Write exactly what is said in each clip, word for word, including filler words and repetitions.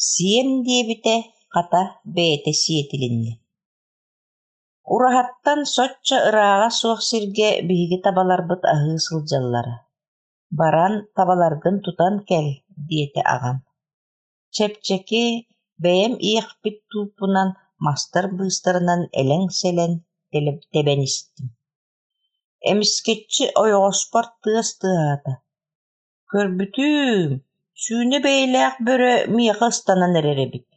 Сиэм диэбитэ, хата, бэйэтэ сиэтилиннэ. Ураһаттан соччо ырааҕа суох сиргэ биһиги табаларбыт аһыы сылдьаллара. Баран табаларгын тутан кэл, диэтэ аҕам. Чэпчэки, бэйэм иэхпит тууппунан мастар быыстарынан элэҥ-сэлэҥ тэбэн истим. Эмискэччи ойоҕоспор тыас тыаһаата. Көрбүтүм, сүүнэ бэйэлээх бөрө миэхэ ыстанан эрэр эбит.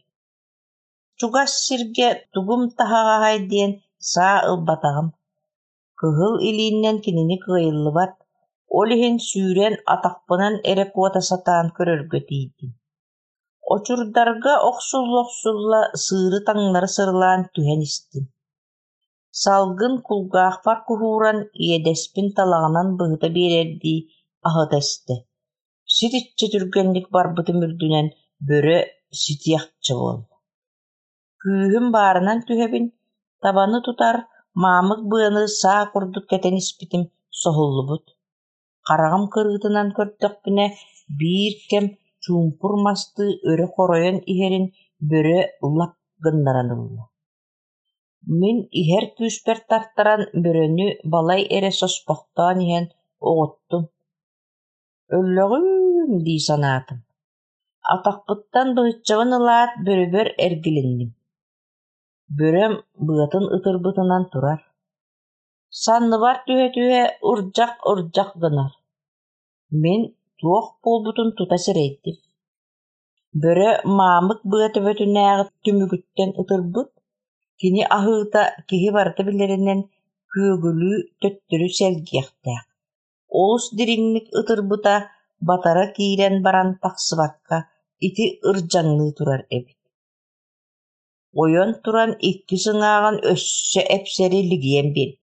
Чугас сиргэ тугум таһаҕаһай диэн саа ылбатаҕым. Кыһыл илиинэн кинини кыайыллыбат, ол иһин сүүрэн атахпынан эрэ куота сатаан көрөргө тиийдим. Очурдарга охсулла-охсулла сыыры таҥнары сырылаан түһэн истим. Салгын кулгаахпар куһууран, иэдэспин талаҕынан быһыта биэрэрдии аһыта эстэ. Ситиччэ түргэнник барбытым үрдүнэн бөрө ситиэхчэ буолла. Күүһүм баарынан түһэбин, табаны тутар маамык быаны саа курдук кэтэн испитим соһуллубут. Хараҕым кырыытынан көрдөхпүнэ, биир кэм чуумпур мастыы өрө хоройон иһэрин бөрө лап гыннаран ылла. Мин иһэр күүспэр тартаран бөрөнү балай эрэ соспохтоон иһэн оҕуттум. Өллөҕүм дии санаатым. Атахпыттан быһыччабын ылаат, бөрөбөр эргилинним. Бөрөм быатын ытырбытынан турар. Санныбар түһэ-түһэ ырдьах-ырдьах гынар. Мин туох буолбутун тута сэрэйдим. Бөрө маамык быа төбөтүнээҕи түмүгүттэн ытырбыт, кини аһыыта киһи барыта билэринэн күөгүлүү төттөрү сэлгиэхтээх. Олус дириҥник ытырбыта батара киирэн баран тахсыбакка ити ырдьаҥныы турар эбит. Ойон туран икки сыҥааҕын өссө эпсэри лигийэн биэрдэ.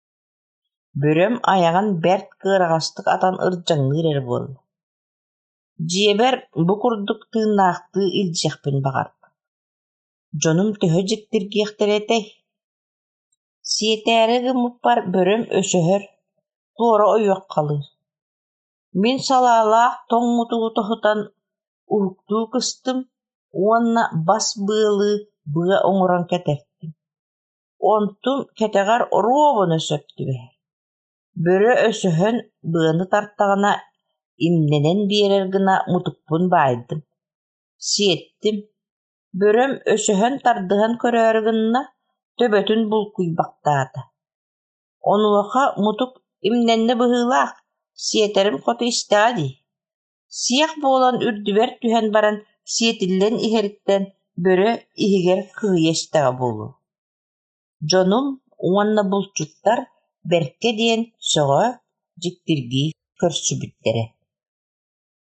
Бөрөм айаҕын бэрт кыараҕастык атан ырдьаҥныыр эрэ буолла. Дьиэбэр бу курдук тыыннаахтыы илдьиэхпин баҕардым. Дьонум төһө дьиктиргиэхтэрэ этэй? Сиэтээри гыммыппар бөрөм өсөһөр, туора ойуоххалыыр. Мин салаалаах тоҥ мутугу тоһутан уһуктуу кыстым уонна бас быалыы быа оҥорон кэтэртим. Онтум кэтэҕэр оруобуна сөп түбэһэр. Бөрө өсөһөн быаны тартаҕына имнэнэн биэрэр гына мутукпун баайдым. Сиэттим. Бөрөм өсөһөн тардыһан көрөөрү гынна, төбөтүн булкуйбахтаата. Онуоха мутук имнэннэ быһыылаах, сиэтэрим хоту истэҕэ дии. Сиэх буолан үрдүбэр түһэн баран сиэтиллэн иһэриттэн бөрө иһигэр кыһыйа истэҕэ буолуо. Дьонум уонна булчуттар бэркэ диэн сөҕө, дьиктиргии көрсүбүттэрэ.